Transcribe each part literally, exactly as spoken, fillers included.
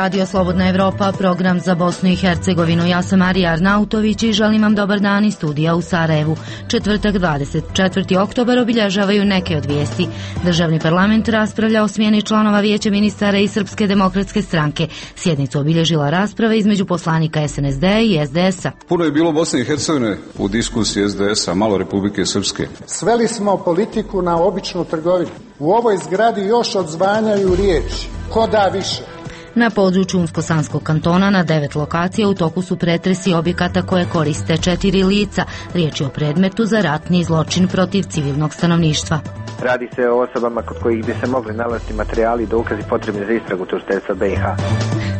Radio Slobodna Evropa, program za Bosnu i Hercegovinu. Ja sam Marija Arnautović i želim vam dobar dan iz studija u Sarajevu. Četvrtak dvadeset četvrti oktobar obilježavaju neke od vijesti. Državni parlament raspravlja o smjeni članova Vijeća ministara i Srpske demokratske stranke. Sjednicu obilježila rasprava između poslanika es en es de i es de esa. Puno je bilo Bosne i Hercegovine u diskusiji es de esa, malo Republike Srpske. Sveli smo politiku na običnu trgovinu. U ovoj zgradi još odzvanjaju riječi. Ko da više? Na području Unsko-Sanskog kantona na devet lokacija u toku su pretresi objekata koje koriste četiri lica. Riječ je o predmetu za ratni zločin protiv civilnog stanovništva. Radi se o osobama kod kojih bi se mogli nalaziti materijali i dokazi potrebni za istragu tužiteljstva be i ha.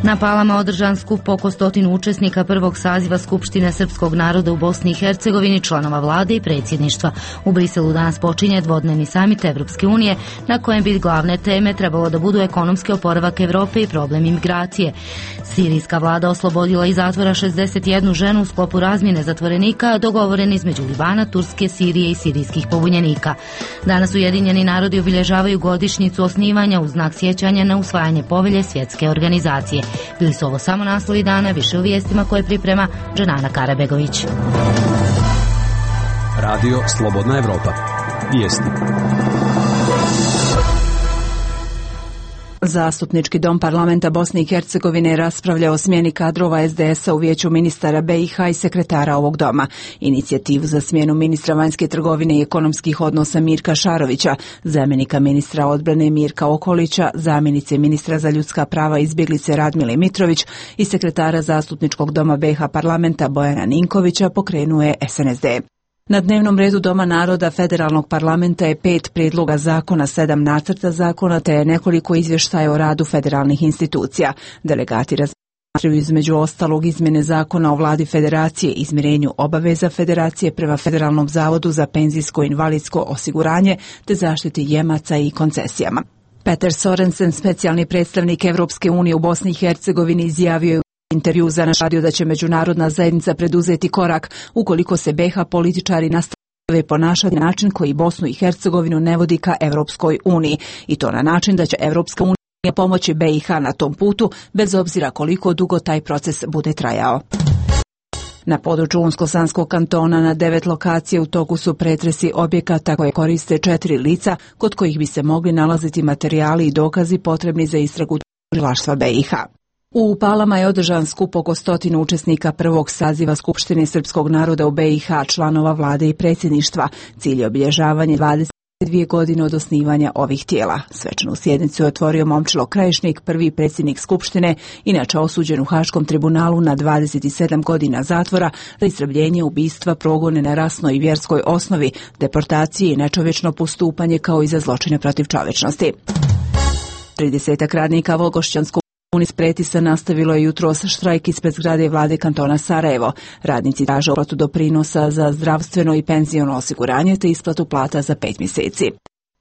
Na Palama održan skup oko stotinu učesnika prvog saziva Skupštine srpskog naroda u Bosni i Hercegovini, članova vlade i predsjedništva. U Briselu danas počinje dvodnevni samit Evropske unije na kojem bi glavne teme trebalo da budu ekonomski oporavak Evrope i problem imigracije. Sirijska vlada oslobodila iz zatvora šezdeset jednu ženu u sklopu razmjene zatvorenika dogovorene između Libana, Turske, Sirije i sirijskih pobunjenika. Danas Ujedinjeni narodi obilježavaju godišnjicu osnivanja u znak sjećanja na usvajanje povelje svjetske organizacije. Bili su ovo samo naslovi dana, više u vijestima koje priprema Dženana Karabegović. Radio Slobodna Evropa. Vijesti. Zastupnički dom parlamenta Bosne i Hercegovine raspravlja o smjeni kadrova es de esa u Vijeću ministara be i ha i sekretara ovog doma. Inicijativu za smjenu ministra vanjske trgovine i ekonomskih odnosa Mirka Šarovića, zamjenika ministra odbrane Mirka Okolića, zamjenice ministra za ljudska prava i izbjeglice Radmile Mitrović i sekretara Zastupničkog doma be i ha parlamenta Bojana Ninkovića pokrenuo je es en es de. Na dnevnom redu Doma naroda Federalnog parlamenta je pet prijedloga zakona, sedam nacrta zakona te nekoliko izvještaja o radu federalnih institucija. Delegati razmatraju između ostalog izmjene zakona o vladi federacije, izmirenju obaveza federacije prema Federalnom zavodu za penzijsko i invalidsko osiguranje te zaštiti jemaca i koncesijama. Peter Sorensen, specijalni predstavnik Evropske unije u Bosni i Hercegovini, izjavio je intervju za naš radio da će međunarodna zajednica preduzeti korak ukoliko se be i ha političari nastave ponašati na način koji Bosnu i Hercegovinu ne vodi ka Evropskoj uniji i to na način da će Evropska unija pomoći be i ha na tom putu bez obzira koliko dugo taj proces bude trajao. Na području Unsko-Sanskog kantona na devet lokacija u toku su pretresi objekata koje koriste četiri lica kod kojih bi se mogli nalaziti materijali i dokazi potrebni za istragu tužilaštva be i ha. U Palama je održan skup oko stotinu učesnika prvog saziva Skupštine srpskog naroda u be i ha, članova vlade i predsjedništva. Cilj je obilježavanje dvadeset dvije godine od osnivanja ovih tijela. Svečanu sjednicu je otvorio Momčilo Krajišnik, prvi predsjednik Skupštine, inače osuđen u Haškom tribunalu na dvadeset sedam godina zatvora za istrebljenje, ubistva, progone na rasnoj i vjerskoj osnovi, deportacije i nečovječno postupanje kao i za zločine protiv čovječnosti. tridesetak radnika Volgošćanskog Unis Pretisa nastavilo je jutros štrajk ispred zgrade vlade kantona Sarajevo. Radnici traže uplatu doprinosa za zdravstveno i penziono osiguranje te isplatu plata za pet mjeseci.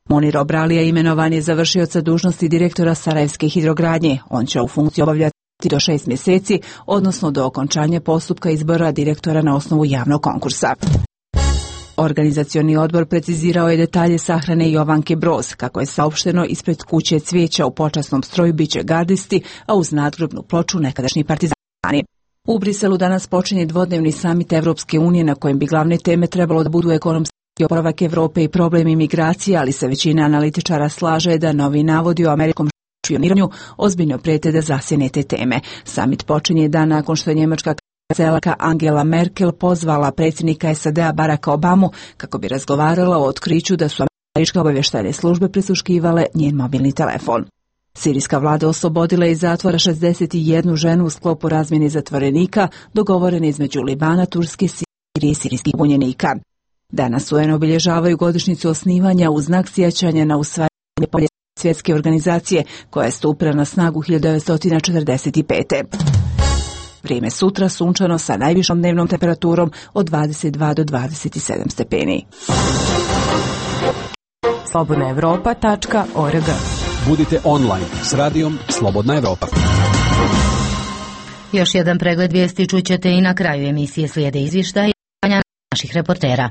Monir Obralija imenovan je za vršioca dužnosti direktora Sarajevske hidrogradnje. On će u funkciju obavljati do šest mjeseci, odnosno do okončanja postupka izbora direktora na osnovu javnog konkursa. Organizacioni odbor precizirao je detalje sahrane Jovanke Broz. Kako je saopšteno, ispred kuće cvijeća u počasnom stroju biće gardisti, a uz nadgrobnu ploču nekadašnji partizani. U Briselu danas počinje dvodnevni samit Evropske unije na kojem bi glavne teme trebalo da budu ekonomski oporavak Evrope i problem imigracije, ali se većina analitičara slaže da novi navodi o američkom špioniranju ozbiljno prijete da zasjene te teme. Samit počinje dan nakon što je njemačka kancelarka Angela Merkel pozvala predsjednika es a de a Baracka Obamu kako bi razgovarala o otkriću da su američke obavještajne službe prisluškivale njen mobilni telefon. Sirijska vlada oslobodila iz zatvora šezdeset jednu ženu u sklopu razmjene zatvorenika dogovorene između Libana, Turske, Sirije i sirijskih pobunjenika. Danas u en obilježavaju godišnjicu osnivanja u znak sjećanja na usvajanje povelje svjetske organizacije koja je stupila na snagu hiljadu devetsto četrdeset pete. Vrijeme sutra sunčano sa najvišom dnevnom temperaturom od dvadeset dva do dvadeset sedam stepeni. slobodna evropa tačka org. Budite online s radijom Slobodna Evropa. Još jedan pregled vijesti čućete i na kraju emisije, slijede izvještaji naših reportera.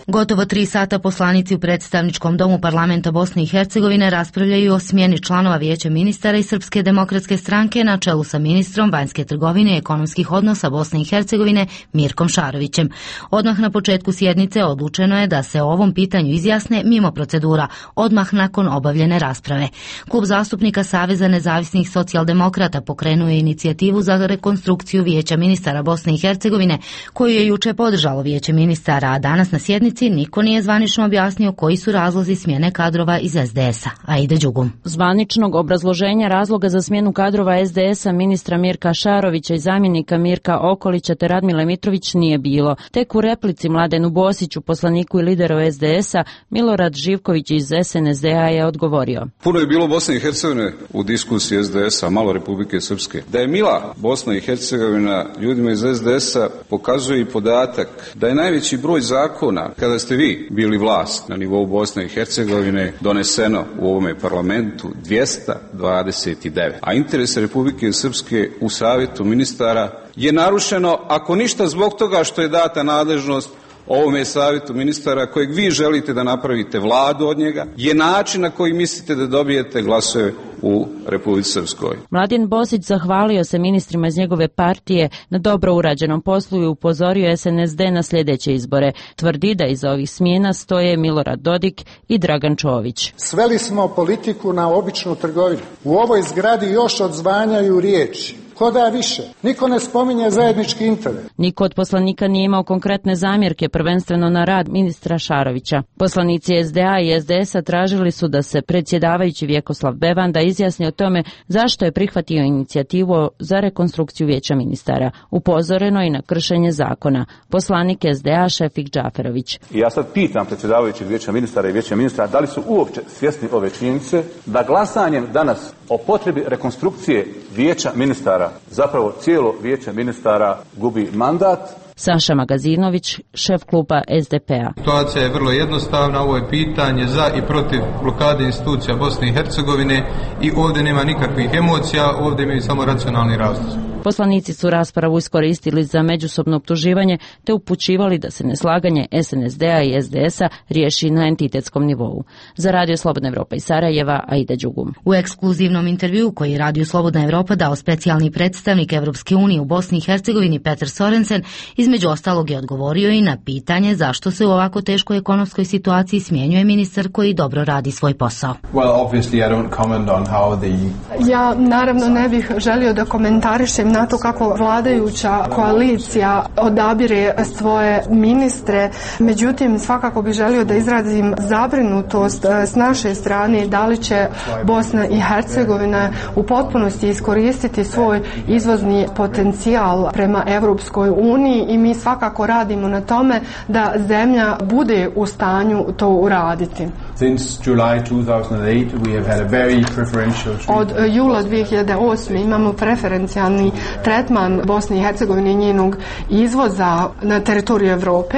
Gotovo tri sata poslanici u predstavničkom domu parlamenta Bosne i Hercegovine raspravljaju o smjeni članova Vijeća ministara i Srpske demokratske stranke na čelu sa ministrom vanjske trgovine i ekonomskih odnosa Bosne i Hercegovine Mirkom Šarovićem. Odmah na početku sjednice odlučeno je da se o ovom pitanju izjasne mimo procedura, odmah nakon obavljene rasprave. Klub zastupnika Saveza nezavisnih socijaldemokrata pokrenuo je inicijativu za rekonstrukciju Vijeća ministara Bosne i Hercegovine, koju je juče podržalo Vijeće ministara, a danas na sjednici niko nije zvanično objasnio koji su razlozi smjene kadrova iz es de es a. Aida Đugum. Zvaničnog obrazloženja razloga za smjenu kadrova es de es a ministra Mirka Šarovića i zamjenika Mirka Okolića te Radmile Mitrović nije bilo. Tek u replici Mladenu Bosiću, poslaniku i lideru es de es a, Milorad Živković iz es en es de a je odgovorio. Puno je bilo Bosne i Hercegovine u diskusiji es de es a, malo Republike Srpske. Da je mila Bosna i Hercegovina ljudima iz es de es a pokazuje i podatak da je najveći broj zakona kada ste vi bili vlast na nivou Bosne i Hercegovine doneseno u ovome parlamentu dvjesto dvadeset devet. A interes Republike Srpske u Savjetu ministara je narušeno, ako ništa zbog toga što je data nadležnost ovome savjetu ministara kojeg vi želite da napravite vladu od njega, je način na koji mislite da dobijete glasove u Republici Srpskoj. Mladen Bosić zahvalio se ministrima iz njegove partije na dobro urađenom poslu i upozorio es en es de na sljedeće izbore. Tvrdi da iza ovih smjena stoje Milorad Dodik i Dragan Čović. Sveli smo politiku na običnu trgovinu. U ovoj zgradi još odzvanjaju riječi. Ko da više? Niko ne spominje zajednički interes. Niko od poslanika nije imao konkretne zamjerke, prvenstveno na rad ministra Šarovića. Poslanici es de a i es de es a tražili su da se predsjedavajući Vjekoslav Bevanda izjasni o tome zašto je prihvatio inicijativu za rekonstrukciju Vijeća ministara. Upozoreno i na kršenje zakona. Poslanik es de a Šefik Džaferović. I ja sad pitam predsjedavajućeg Vijeća ministara i Vijeća ministara da li su uopće svjesni ove činjenice da glasanjem danas o potrebi rekonstrukcije Vijeća ministara zapravo cijelo Vijeće ministara gubi mandat. Saša Magazinović, šef kluba es de pe a. Situacija je vrlo jednostavna, ovo je pitanje za i protiv blokade institucija Bosne i Hercegovine i ovdje nema nikakvih emocija, ovdje imaju samo racionalni razlog. Poslanici su raspravu iskoristili za međusobno optuživanje te upućivali da se neslaganje es en es de a i es de es a riješi na entitetskom nivou. Za Radio Slobodna Evropa iz Sarajeva, Aida Đugum. U ekskluzivnom intervjuu koji je Radio Slobodna Evropa dao specijalni predstavnik Evropske unije u Bosni i Hercegovini Petar Sorensen, između ostalog je odgovorio i na pitanje zašto se u ovako teškoj ekonomskoj situaciji smjenjuje ministar koji dobro radi svoj posao. Well, obviously I don't comment on how the... Ja naravno ne bih želio da komentarišem na to kako vladajuća koalicija odabire svoje ministre, međutim svakako bih želio da izrazim zabrinutost s naše strane da li će Bosna i Hercegovina u potpunosti iskoristiti svoj izvozni potencijal prema Evropskoj uniji i mi svakako radimo na tome da zemlja bude u stanju to uraditi. Since July two thousand eight we have had a very preferential Od jula dvije hiljade osme imamo preferencijalni tretman Bosne i Hercegovine i njenog izvoza na teritoriju Europe.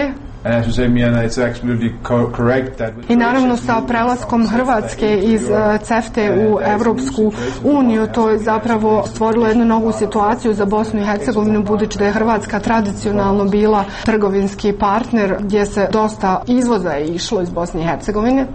I naravno sa prelaskom Hrvatske iz CEFTA u Evropsku uniju to je zapravo stvorilo jednu novu situaciju za Bosnu i Hercegovinu, budući da je Hrvatska tradicionalno bila trgovinski partner gdje se dosta izvoza je išlo iz Bosne i Hercegovine.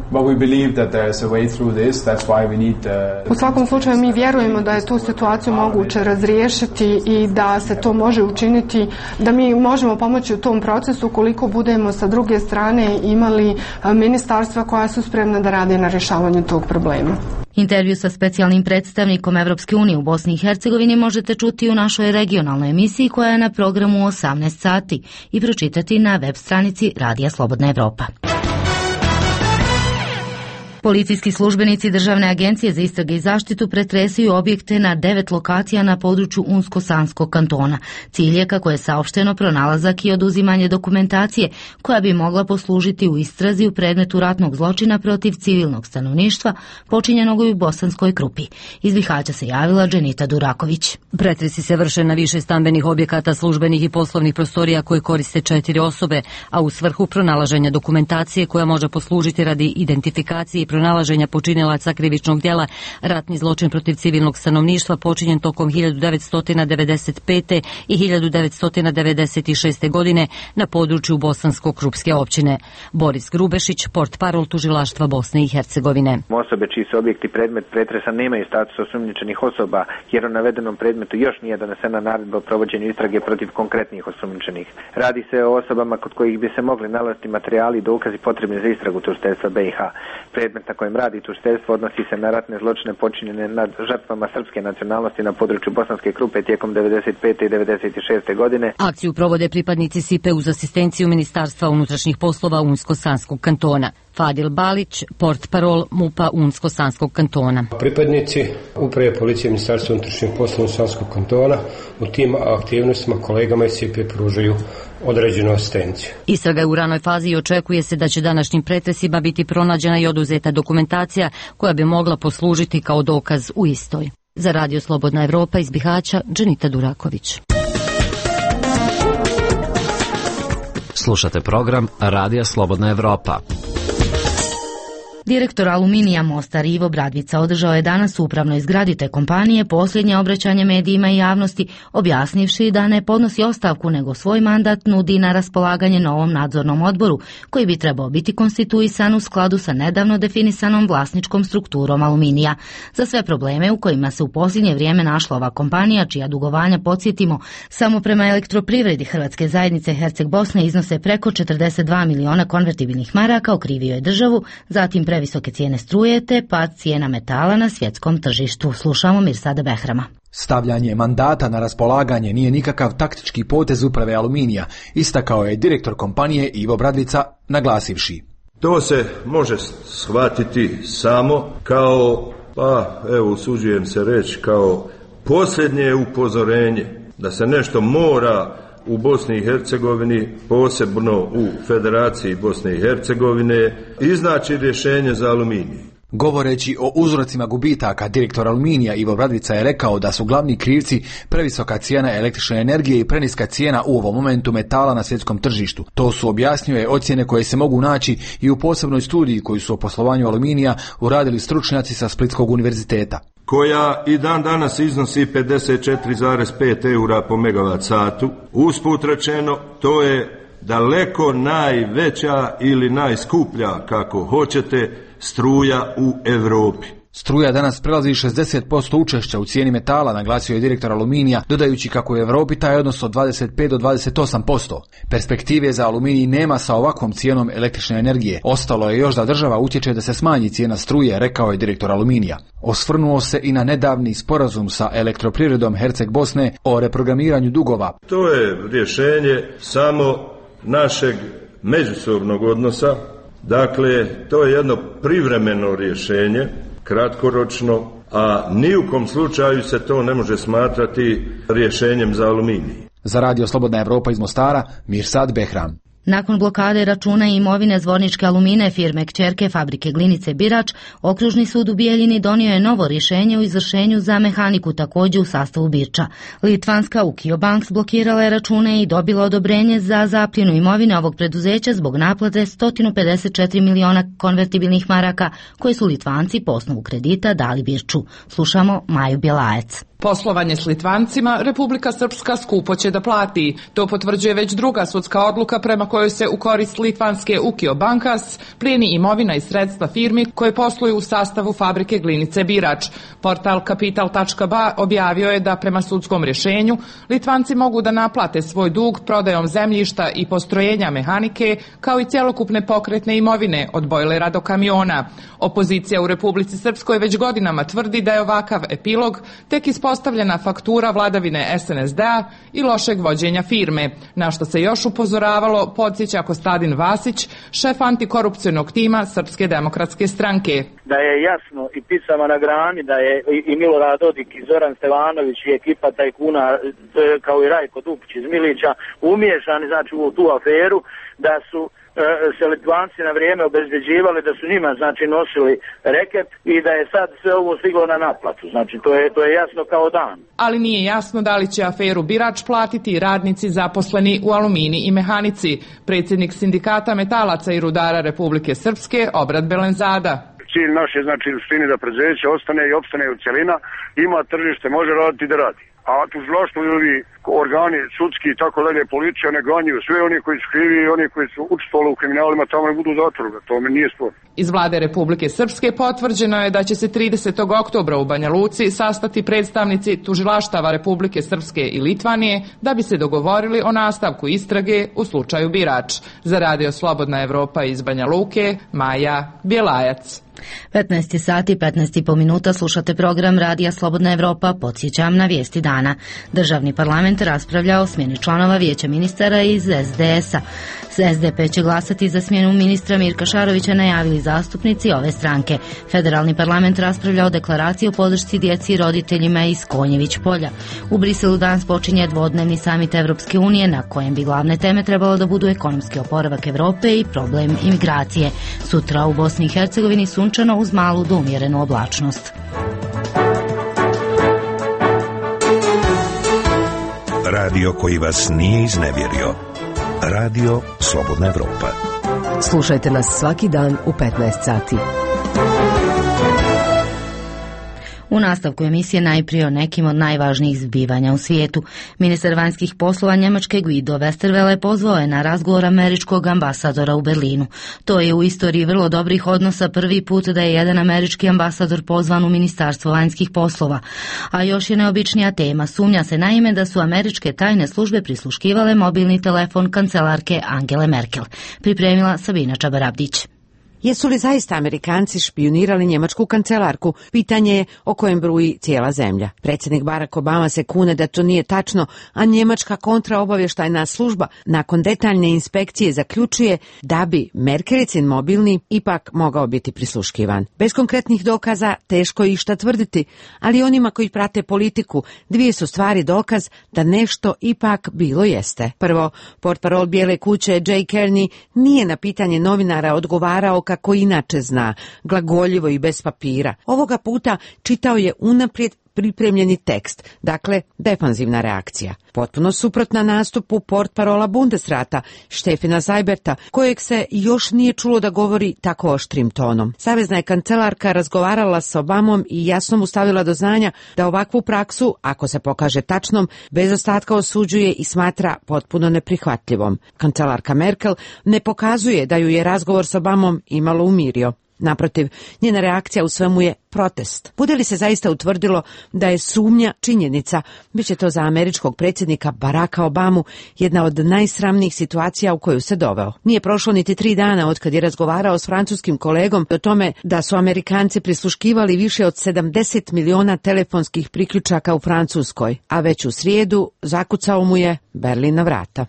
U svakom slučaju mi vjerujemo da je tu situaciju moguće razriješiti i da se to može učiniti, da mi možemo pomoći u tom procesu koliko budemo sa druge strane imali ministarstva koja su spremna da rade na rješavanju tog problema. Intervju sa specijalnim predstavnikom Evropske unije u Bosni i Hercegovini možete čuti u našoj regionalnoj emisiji koja je na programu u osamnaest sati i pročitati na web stranici Radija Slobodna Evropa. Policijski službenici Državne agencije za istrage i zaštitu pretresaju objekte na devet lokacija na području Unsko-Sanskog kantona. Cilj je, kako je saopšteno, pronalazak i oduzimanje dokumentacije koja bi mogla poslužiti u istrazi u predmetu ratnog zločina protiv civilnog stanovništva počinjenog u Bosanskoj Krupi. Iz Bihaća se javila Dženita Duraković. Pretresi se vrše na više stambenih objekata, službenih i poslovnih prostorija koje koriste četiri osobe, a u svrhu pronalaženja dokumentacije koja može poslužiti radi identifikacije i pronalaženja počinilaca krivičnog djela ratni zločin protiv civilnog stanovništva počinjen tokom hiljadu devetsto devedeset pete. i hiljadu devetsto devedeset šeste. godine na području Bosansko-Krupske općine. Boris Grubešić, portparol tužilaštva Bosne i Hercegovine. Osobe čiji su objekti predmet pretresa nemaju status osumnjičenih osoba, jer u navedenom predmetu još nije donesena naredba o provođenju istrage protiv konkretnih osumnjičenih. Radi se o osobama kod kojih bi se mogli nalaziti materijali i dokazi potrebni za istragu tužiteljstva B i H. Predmet na kojem radi tužiteljstvo odnosi se na ratne zločine počinjene nad žrtvama srpske nacionalnosti na području Bosanske Krupe tijekom devedeset pete. i devedeset šeste. godine. Akciju provode pripadnici S I P E uz asistenciju Ministarstva unutrašnjih poslova Unsko-Sanskog kantona. Fadil Balić, portparol MUP-a Unsko-Sanskog kantona. Pripadnici Uprave policije Ministarstva unutrašnjih poslova Unsko-Sanskog kantona u tim aktivnostima kolegama iz S I P E pružaju određenu asistenciju. Istraga je u ranoj fazi i očekuje se da će današnjim pretresima biti pronađena i oduzeta dokumentacija koja bi mogla poslužiti kao dokaz u istoj. Za Radio Slobodna Evropa iz Bihaća, Dženita Duraković. Slušate program Radija Slobodna Evropa. Direktor Aluminija Mostar Ivo Bradvica održao je danas u upravnoj zgradi te kompanije posljednje obraćanje medijima i javnosti, objasnivši da ne podnosi ostavku nego svoj mandat nudi na raspolaganje novom nadzornom odboru koji bi trebao biti konstituisan u skladu sa nedavno definisanom vlasničkom strukturom Aluminija. Za sve probleme u kojima se u posljednje vrijeme našla ova kompanija, čija dugovanja, podsjetimo, samo prema Elektroprivredi Hrvatske zajednice Herceg Bosne iznose preko četrdeset dva miliona konvertibilnih maraka, okrivio je državu, zatim previsoke cijene struje te pad cijena metala na svjetskom tržištu. Slušamo Mirsada Behrama. Stavljanje mandata na raspolaganje nije nikakav taktički potez uprave Aluminija, istakao je direktor kompanije Ivo Bradvica, naglasivši. To se može shvatiti samo kao, pa evo usuđujem se reći, kao posljednje upozorenje da se nešto mora u Bosni i Hercegovini, posebno u Federaciji Bosne i Hercegovine, iznaći rješenje za Aluminij. Govoreći o uzrocima gubitaka, direktor Aluminija Ivo Bradvica je rekao da su glavni krivci previsoka cijena električne energije i preniska cijena u ovom momentu metala na svjetskom tržištu. To su, objasnio je, ocjene koje se mogu naći i u posebnoj studiji koju su o poslovanju Aluminija uradili stručnjaci sa Splitskog univerziteta, koja i dan danas iznosi pedeset četiri zarez pet eura po megavat satu. Usput rečeno, to je daleko najveća ili najskuplja, kako hoćete, struja u Europi. Struja danas prelazi šezdeset posto učešća u cijeni metala, naglasio je direktor Aluminija, dodajući kako u Europi taj odnos od dvadeset pet do dvadeset osam posto. Perspektive za Aluminij nema sa ovakvom cijenom električne energije. Ostalo je još da država utječe da se smanji cijena struje, rekao je direktor Aluminija. Osvrnuo se i na nedavni sporazum sa Elektroprivredom Herceg Bosne o reprogramiranju dugova. To je rješenje samo našeg međusobnog odnosa. Dakle, to je jedno privremeno rješenje, kratkoročno, a ni u kom slučaju se to ne može smatrati rješenjem za Aluminij. Za Radio Slobodna Evropa iz Mostara, Mirsad Behram. Nakon blokade računa i imovine Zvorničke Alumine, firme kćerke fabrike Glinice Birač, Okružni sud u Bijeljini donio je novo rješenje o izvršenju za mehaniku također u sastavu Birča. Litvanska Ukio Banks blokirala je račune i dobila odobrenje za zapljenu imovine ovog preduzeća zbog naplate sto pedeset četiri miliona konvertibilnih maraka koje su Litvanci po osnovu kredita dali Birču. Slušamo Maju Bjelajec. Poslovanje s Litvancima Republika Srpska skupo će da plati. To potvrđuje već druga sudska odluka prema kojoj se u korist litvanske Ukio Bankas plijeni imovina i sredstva firmi koje posluju u sastavu fabrike Glinice Birač. Portal kapital tačka ba objavio je da prema sudskom rješenju Litvanci mogu da naplate svoj dug prodajom zemljišta i postrojenja mehanike kao i cjelokupne pokretne imovine od bojlera do kamiona. Opozicija u Republici Srpskoj već godinama tvrdi da je ovakav epilog tek ispostavljena faktura vladavine es en es de a i lošeg vođenja firme, na što se još upozoravalo, podsjeća Kostadin Vasić, šef antikorupcionog tima Srpske demokratske stranke. Da je jasno i picama na grani da je i Milorad Dodik i Zoran Stevanović i ekipa tajkuna, kao i Rajko Dupić iz Milića, umiješani znači u tu aferu, da su se Litvanci na vrijeme obezbeđivali, da su njima znači nosili reket i da je sad sve ovo stiglo na naplatu. Znači to je, to je jasno kao dan. Ali nije jasno da li će aferu Birač platiti radnici zaposleni u Alumini i Mehanici. Predsjednik sindikata metalaca i rudara Republike Srpske Obrad Belenzada. cilj naš je znači u suštini da preduzeće ostane i opstane u cjelina, ima tržište, može raditi da radi. A tužilaštvo i ovi organi sudski i tako dalje, policija ne ganjaju sve oni koji su krivi i oni koji su učestvovali u kriminalima tamo ne budu u zatvoru, to mi nije spor. Iz vlade Republike Srpske potvrđeno je da će se tridesetog oktobra u Banja Luci sastati predstavnici tužilaštava Republike Srpske i Litvanije da bi se dogovorili o nastavku istrage u slučaju Birač. Za Radio Slobodna Evropa iz Banja Luke, Maja Bjelajac. petnaest sati, petnaest i po minuta, slušate program Radija Slobodna Evropa. Podsjećam na vijesti dana. Državni parlament raspravlja o smjeni članova vijeća ministara iz es de es-a. es de pe će glasati za smjenu ministra Mirka Šarovića, najavili zastupnici ove stranke. Federalni parlament raspravlja o deklaraciji o podršci djeci i roditeljima iz Konjević polja. U Briselu danas počinje dvodnevni samit Evropske unije na kojem bi glavne teme trebalo da budu ekonomski oporavak Evrope i problem imigracije. Sutra u Bosni i Hercegovini sunčano uz malu do umjerenu oblačnost. Radio koji vas nije iznevjerio. Radio Slobodna Evropa. Slušajte nas svaki dan u petnaest sati. U nastavku emisije najprije o nekim od najvažnijih zbivanja u svijetu. Ministar vanjskih poslova Njemačke Guido Westerwelle pozvao je na razgovor američkog ambasadora u Berlinu. To je u istoriji vrlo dobrih odnosa prvi put da je jedan američki ambasador pozvan u Ministarstvo vanjskih poslova. A još je neobičnija tema. Sumnja se naime da su američke tajne službe prisluškivale mobilni telefon kancelarke Angele Merkel. Pripremila Sabina Čabarabdić. Jesu li zaista Amerikanci špijunirali njemačku kancelarku? Pitanje je o kojem bruji cijela zemlja. Predsjednik Barack Obama se kune da to nije tačno, a njemačka kontraobavještajna služba nakon detaljne inspekcije zaključuje da bi Merkelicin mobilni ipak mogao biti prisluškivan. Bez konkretnih dokaza teško je išta tvrditi, ali onima koji prate politiku dvije su stvari dokaz da nešto ipak bilo jeste. Prvo, portparol Bijele kuće Jay Carney nije na pitanje novinara odgovarao kako inače zna, glagoljivo i bez papira. Ovoga puta čitao je unaprijed pripremljeni tekst, dakle defanzivna reakcija. Potpuno suprotna nastupu portparola Bundesrata, Štefina Zajberta, kojeg se još nije čulo da govori tako oštrim tonom. Savezna je kancelarka razgovarala s Obamom i jasno mu stavila do znanja da ovakvu praksu, ako se pokaže tačnom, bez ostatka osuđuje i smatra potpuno neprihvatljivom. Kancelarka Merkel ne pokazuje da ju je razgovor s Obamom imalo umirio. Naprotiv, njena reakcija u svemu je protest. Bude li se zaista utvrdilo da je sumnja činjenica, bit će to za američkog predsjednika Baracka Obamu jedna od najsramnijih situacija u koju se doveo. Nije prošlo niti tri dana od kad je razgovarao s francuskim kolegom o tome da su Amerikanci prisluškivali više od sedamdeset miliona telefonskih priključaka u Francuskoj, a već u srijedu zakucao mu je Berlin na vrata.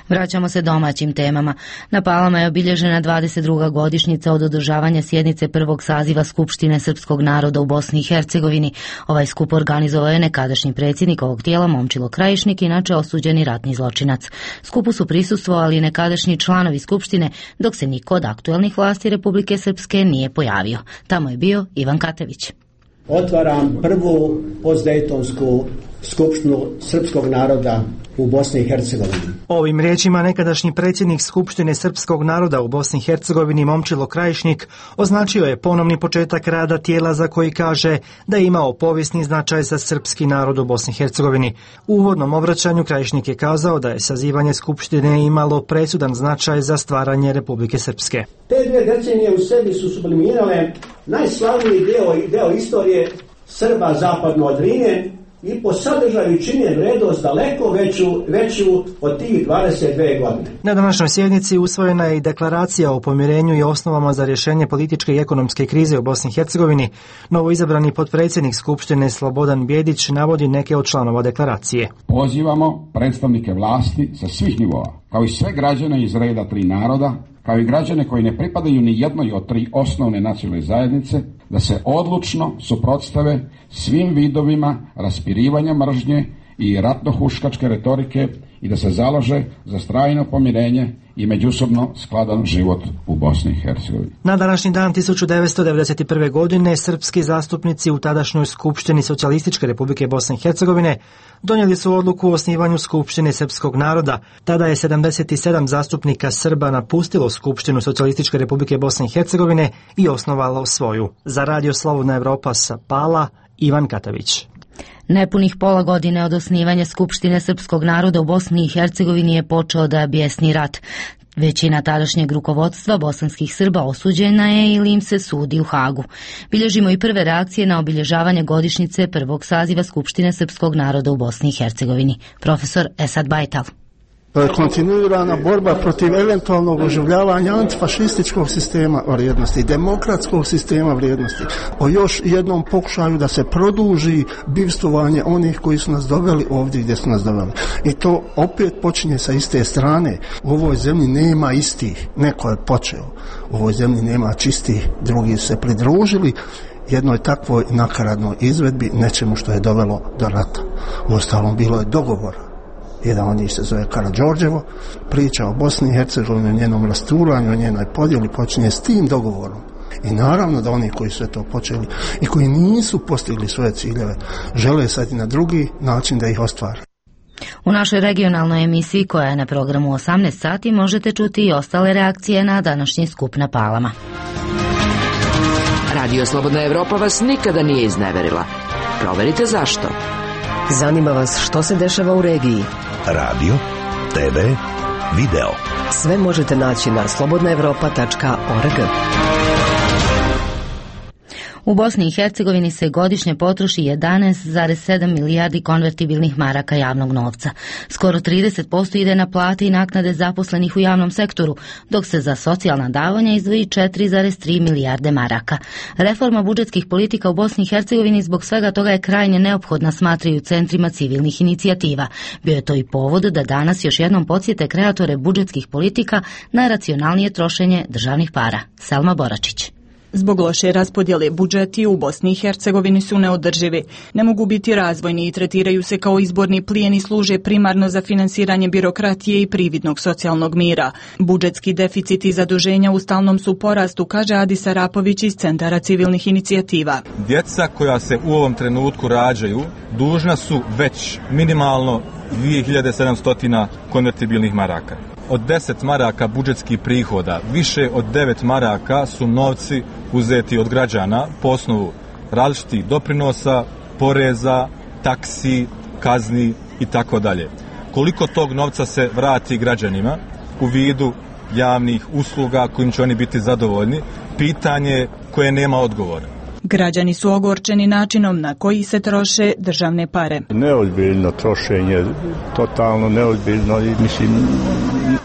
Vraćamo se domaćim temama. Na Palama je obilježena dvadeset druga godišnjica od održavanja sjednice prvog saziva Skupštine srpskog naroda u Bosni i Hercegovini. Ovaj skup organizovao je nekadašnji predsjednik ovog tijela Momčilo Krajišnik, inače osuđeni ratni zločinac. Skupu su prisustvovali nekadašnji članovi Skupštine, dok se niko od aktuelnih vlasti Republike Srpske nije pojavio. Tamo je bio Ivan Katević. Otvaram prvu postdejtonsku skupštinu srpskog naroda u Bosni i Hercegovini. Ovim riječima nekadašnji predsjednik Skupštine srpskog naroda u Bosni i Hercegovini Momčilo Krajišnik označio je ponovni početak rada tijela za koji kaže da je imao povijesni značaj za srpski narod u Bosni i Hercegovini. U uvodnom obraćanju Krajišnik je kazao da je sazivanje Skupštine imalo presudan značaj za stvaranje Republike Srpske. Te dvije decenije u sebi su sublimirale najslavniji deo, deo istorije Srba zapadno od Drine i po sadržaju čine vrednost daleko veću, veću od tih dvadeset dvije godine. Na današnjoj sjednici usvojena je i deklaracija o pomirenju i osnovama za rješenje političke i ekonomske krize u Bosni i Hercegovini. Novoizabrani potpredsjednik Skupštine Slobodan Bjedić navodi neke od članova deklaracije. Pozivamo predstavnike vlasti sa svih nivoa, kao i sve građane iz reda tri naroda, kao i građane koji ne pripadaju ni jednoj od tri osnovne nacionalne zajednice, da se odlučno suprotstave svim vidovima raspirivanja mržnje i ratnohuškačke retorike i da se založe za trajno pomirenje i međusobno skladan život u Bosni i Hercegovini. Na današnji dan tisuću devetsto devedeset prve. godine srpski zastupnici u tadašnjoj Skupštini Socijalističke Republike Bosne i Hercegovine donijeli su odluku o osnivanju Skupštine srpskog naroda. Tada je sedamdeset sedam zastupnika Srba napustilo Skupštinu Socijalističke Republike Bosne i Hercegovine i osnovalo svoju. Za Radio Slobodna Evropa sa Pala, Ivan Katavić. Nepunih pola godine od osnivanja Skupštine srpskog naroda u Bosni i Hercegovini je počeo da bijesni rat. Većina tadašnjeg rukovodstva bosanskih Srba osuđena je ili im se sudi u Hagu. Bilježimo i prve reakcije na obilježavanje godišnjice prvog saziva Skupštine srpskog naroda u Bosni i Hercegovini. Profesor Esad Bajtal. Kontinuirana borba protiv eventualnog oživljavanja antifašističkog sistema vrijednosti, demokratskog sistema vrijednosti, o još jednom pokušaju da se produži bivstvovanje onih koji su nas doveli ovdje gdje su nas doveli. I to opet počinje sa iste strane. U ovoj zemlji nema istih, neko je počeo. U ovoj zemlji nema čistih, drugi su se pridružili jednoj takvoj nakaradnoj izvedbi, nečemu što je dovelo do rata. Uostalom, bilo je dogovora. Jedan od njih se zove Karađorđevo, priča o Bosni i Hercegovini, o njenom rasturanju, o njenoj podjeli počinje s tim dogovorom. I naravno da oni koji su to počeli i koji nisu postigli svoje ciljeve, žele sad i na drugi način da ih ostvare. U našoj regionalnoj emisiji koja je na programu osamnaest sati možete čuti i ostale reakcije na današnji skup na Palama. Radio Slobodna Evropa vas nikada nije izneverila. Proverite zašto. Zanima vas što se dešava u regiji. Radio, te ve, video. Sve možete naći na slobodna evropa tačka org. U Bosni i Hercegovini se godišnje potroši jedanaest zarez sedam milijardi konvertibilnih maraka javnog novca. Skoro trideset posto ide na plate i naknade zaposlenih u javnom sektoru, dok se za socijalna davanja izdvoji četiri zarez tri milijarde maraka. Reforma budžetskih politika u Bosni i Hercegovini zbog svega toga je krajnje neophodna, smatraju centrima civilnih inicijativa. Bio je to i povod da danas još jednom podsjete kreatore budžetskih politika na racionalnije trošenje državnih para. Selma Boračić. Zbog loše raspodjele budžeti u Bosni i Hercegovini su neodrživi. Ne mogu biti razvojni i tretiraju se kao izborni plijen i služe primarno za finansiranje birokratije i prividnog socijalnog mira. Budžetski deficit i zaduženja u stalnom su porastu, kaže Adis Arapović iz Centara civilnih inicijativa. Djeca koja se u ovom trenutku rađaju dužna su već minimalno dvije hiljade sedamsto konvertibilnih maraka. Od deset maraka budžetskih prihoda, više od devet maraka su novci uzeti od građana po osnovu različitih doprinosa, poreza, taksi, kazni i tako dalje. Koliko tog novca se vrati građanima u vidu javnih usluga kojim će oni biti zadovoljni, pitanje koje nema odgovora. Građani su ogorčeni načinom na koji se troše državne pare. Neozbiljno trošenje, totalno neozbiljno i mislim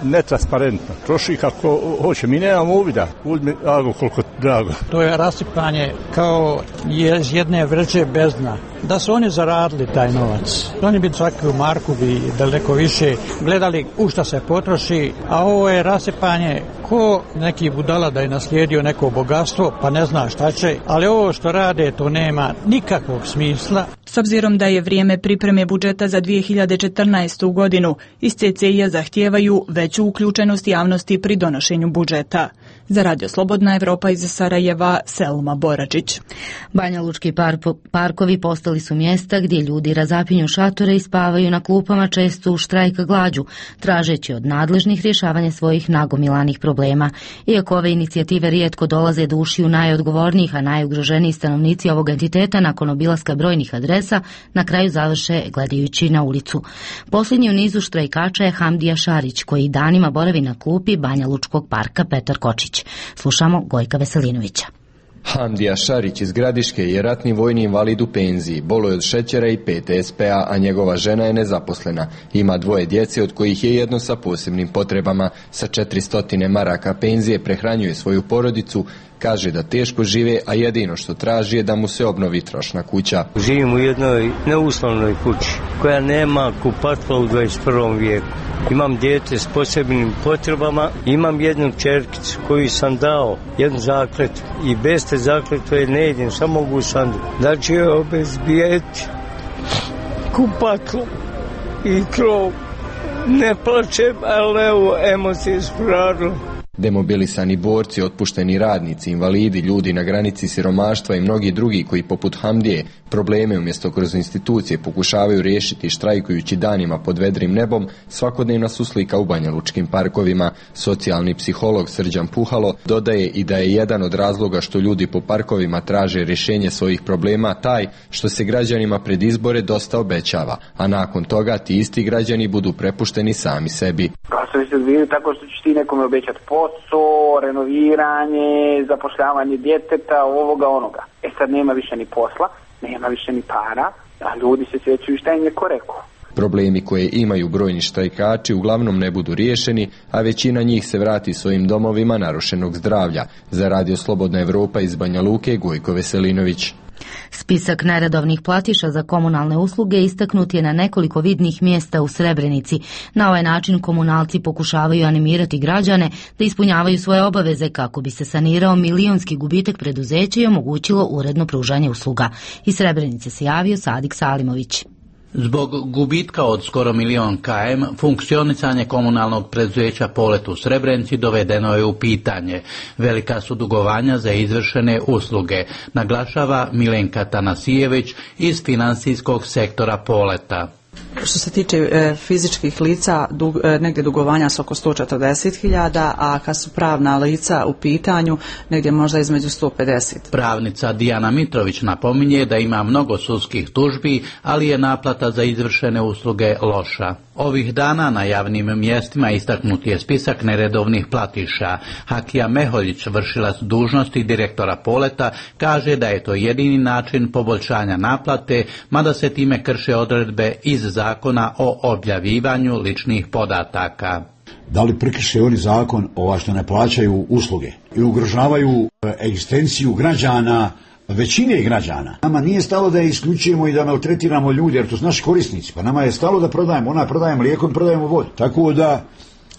netransparentno. Troši kako hoće, mi nemamo uvida. Uzmi drago koliko drago. To je rasipanje kao iz jedne vreće bez dna. Da su oni zaradili taj novac, oni bi svaku marku bi daleko više gledali u šta se potroši, a ovo je rasipanje ko neki budala da je naslijedio neko bogatstvo pa ne zna šta će, ali ovo što rade to nema nikakvog smisla. S obzirom da je vrijeme pripreme budžeta za dvije hiljade četrnaestu. godinu, iz ce ce i-a zahtijevaju veću uključenost javnosti pri donošenju budžeta. Za Radio Slobodna Evropa iz Sarajeva, Selma Boračić. Banjalučki par parkovi postali su mjesta gdje ljudi razapinju šatore i spavaju na klupama, često u štrajk glađu, tražeći od nadležnih rješavanje svojih nagomilanih problema. Iako ove inicijative rijetko dolaze do ušiju najodgovornijih, a najugroženiji stanovnici ovog entiteta nakon obilaska brojnih adresa, na kraju završe gledajući na ulicu. Posljednji u nizu štrajkača je Hamdija Šarić, koji danima boravi na klupi Banjalučkog parka Petar Kočić. Slušamo Gojka Veselinovića. Hamdija Šarić iz Gradiške je ratni vojni invalid u penziji, boluje od šećera i pe te es pe-a, a njegova žena je nezaposlena. Ima dvoje djece, od kojih je jedno sa posebnim potrebama. Sa četiristo maraka penzije prehranjuje svoju porodicu, kaže da teško žive, a jedino što traži je da mu se obnovi trošna kuća. Živim u jednoj neuslovnoj kući koja nema kupatstva u dvadeset prvom vijeku. Imam dijete s posebnim potrebama, imam jednu čerkicu koju sam dao, jednu zakletu i bez te zakletve ne idem, samo mogu sandu. Da će joj obezbijeti kupatlo i krov Ne plačem, ali evo, emocije su radile. Demobilisani borci, otpušteni radnici, invalidi, ljudi na granici siromaštva i mnogi drugi koji poput Hamdije probleme umjesto kroz institucije pokušavaju riješiti štrajkujući danima pod vedrim nebom, svakodnevna su slika u banjalučkim parkovima. Socijalni psiholog Srđan Puhalo dodaje i da je jedan od razloga što ljudi po parkovima traže rješenje svojih problema taj što se građanima pred izbore dosta obećava, a nakon toga ti isti građani budu prepušteni sami sebi. Glasovi se odvijaju tako što će ti nekome obećati posao, renoviranje, zapošljavanje djeteta, ovoga onoga. E sad nema više ni posla, nema više ni para, a ljudi se sjećaju šta im je ko rekao. Problemi koje imaju brojni štrajkači uglavnom ne budu riješeni, a većina njih se vrati svojim domovima narušenog zdravlja. Za Radio Slobodna Evropa iz Banja Luke, Gojko Veselinović. Spisak neredovnih platiša za komunalne usluge istaknut je na nekoliko vidnih mjesta u Srebrenici. Na ovaj način komunalci pokušavaju animirati građane da ispunjavaju svoje obaveze kako bi se sanirao milionski gubitak preduzeća i omogućilo uredno pružanje usluga. Iz Srebrenice se javio Sadik Salimović. Zbog gubitka od skoro milion km, funkcionisanje komunalnog preduzeća Polet u Srebrenici dovedeno je u pitanje. Velika su dugovanja za izvršene usluge, naglašava Milenka Tanasijević iz financijskog sektora Poleta. Što se tiče e, fizičkih lica, dug, e, negdje dugovanja su oko sto četrdeset hiljada, a kad su pravna lica u pitanju, negdje možda između sto pedeset. Pravnica Dijana Mitrović napominje da ima mnogo sudskih tužbi, ali je naplata za izvršene usluge loša. Ovih dana na javnim mjestima istaknut je spisak neredovnih platiša. Hakija Meholjić, vršilac dužnosti direktora Poleta, kaže da je to jedini način poboljšanja naplate, mada se time krše odredbe iz zakona o objavljivanju ličnih podataka. Da li prekrše oni zakon ova što ne plaćaju usluge i ugrožavaju egzistenciju građana, većine građana? Nama nije stalo da je isključujemo i da maltretiramo ljude, jer to su naši korisnici, pa nama je stalo da prodajemo, ona prodaje mlijeko i prodajemo vodu. Tako da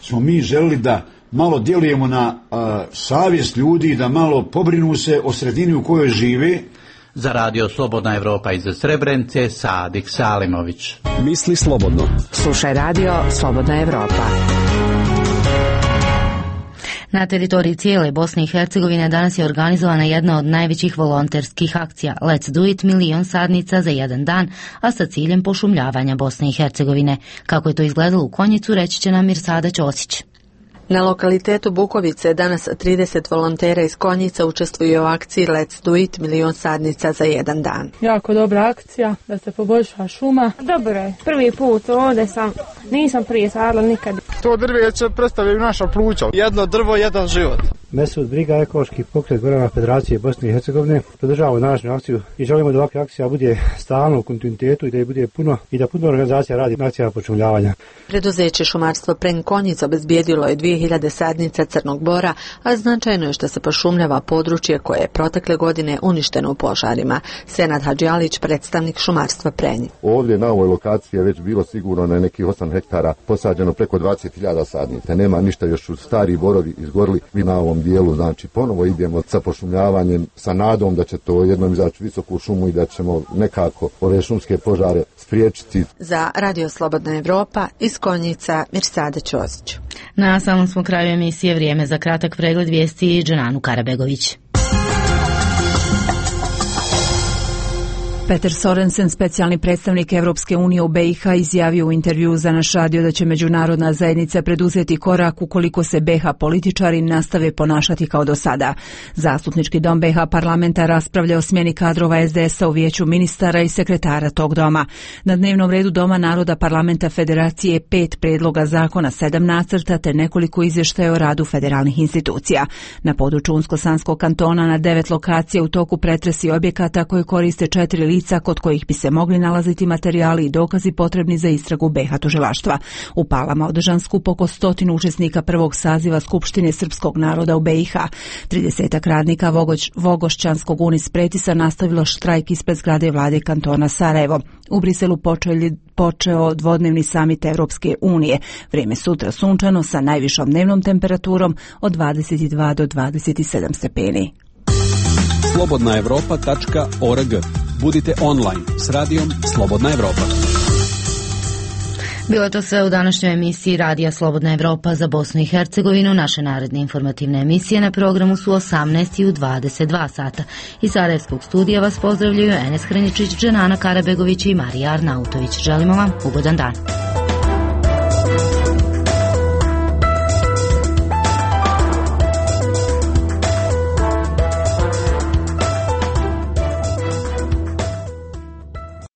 smo mi želili da malo djelujemo na a, savjest ljudi, da malo pobrinu se o sredini u kojoj žive. Za Radio Slobodna Evropa iz Srebrenice, Sadik Salimović. Misli slobodno. Slušaj Radio Slobodna Evropa. Na teritoriji cijele Bosne i Hercegovine danas je organizovana jedna od najvećih volonterskih akcija Let's Do It, milion sadnica za jedan dan, a sa ciljem pošumljavanja Bosne i Hercegovine. Kako je to izgledalo u Konjicu, reći će nam Mirsada Ćosić. Na lokalitetu Bukovice danas trideset volontera iz Konjica učestvuje u akciji Let's Do It, milion sadnica za jedan dan. Jako dobra akcija da se poboljša šuma. Dobro je, prvi put ovdje sam, nisam prije sadila nikad. To drveće predstavljaju naša pluća. Jedno drvo, jedan život. Mesut Briga, ekološki pokret Gorana Federacije Bosne i Hercegovine, podržavamo današnju akciju i želimo da ovakva akcija bude stalno u kontinuitetu i da je bude puno i da puno organizacija radi na akcijama pošumljavanja. Preduzeće šumarstvo Pren Konjica obezbijedilo je dvije hiljade sadnica crnog bora, a značajno je što se pošumljava područje koje je protekle godine uništeno u požarima. Senad Hadžijalić, predstavnik šumarstva Prenj. Ovdje na ovoj lokaciji je već bilo sigurno na nekih osam hektara posađeno preko dvadeset hiljada sadnica. Nema ništa, još su stari borovi izgorili. Mi na ovom dijelu, znači ponovo idemo sa pošumljavanjem sa nadom da će to jednom izaći visoku šumu i da ćemo nekako ove šumske požare spriječiti. Za Radio Slobodna Evropa iz Konjica, Mirsada Ćosić. Na samom smo kraju emisije, vrijeme za kratak pregled vijesti i Dženanu Karabegović. Peter Sorensen, specijalni predstavnik Evropske unije u B i H, izjavio u intervjuu za naš radio da će međunarodna zajednica preduzeti korak ukoliko se B i H političari nastave ponašati kao do sada. Zastupnički dom B i H parlamenta raspravlja o smjeni kadrova S D S-a u vijeću ministara i sekretara tog doma. Na dnevnom redu Doma naroda parlamenta Federacije pet predloga zakona, sedam nacrta te nekoliko izvještaja o radu federalnih institucija. Na području Unsko-Sanskog kantona na devet lokacija u toku pretresi objekata koje koriste četiri lica kod kojih bi se mogli nalaziti materijali i dokazi potrebni za istragu B i H tužilaštva. U Palama održan skup oko stotinu učesnika prvog saziva Skupštine srpskog naroda u B i H. Tridesetak radnika Vogoć, Vogošćanskog Unis Pretisa nastavilo štrajk ispred zgrade vlade kantona Sarajevo. U Briselu počeli, počeo dvodnevni samit Evropske unije. Vrijeme sutra sunčano sa najvišom dnevnom temperaturom od dvadeset dva do dvadeset sedam stepeni. slobodna evropa tačka org. Budite online s radijom Slobodna Evropa. Bilo je to sve u današnjoj emisiji Radija Slobodna Evropa za Bosnu i Hercegovinu. Naše naredne informativne emisije na programu su osamnaest i u dvadeset dva sata. Iz Sarajevskog studija vas pozdravljaju Enes Hraničić, Dženana Karabegović i Marija Arnautović. Želimo vam ugodan dan.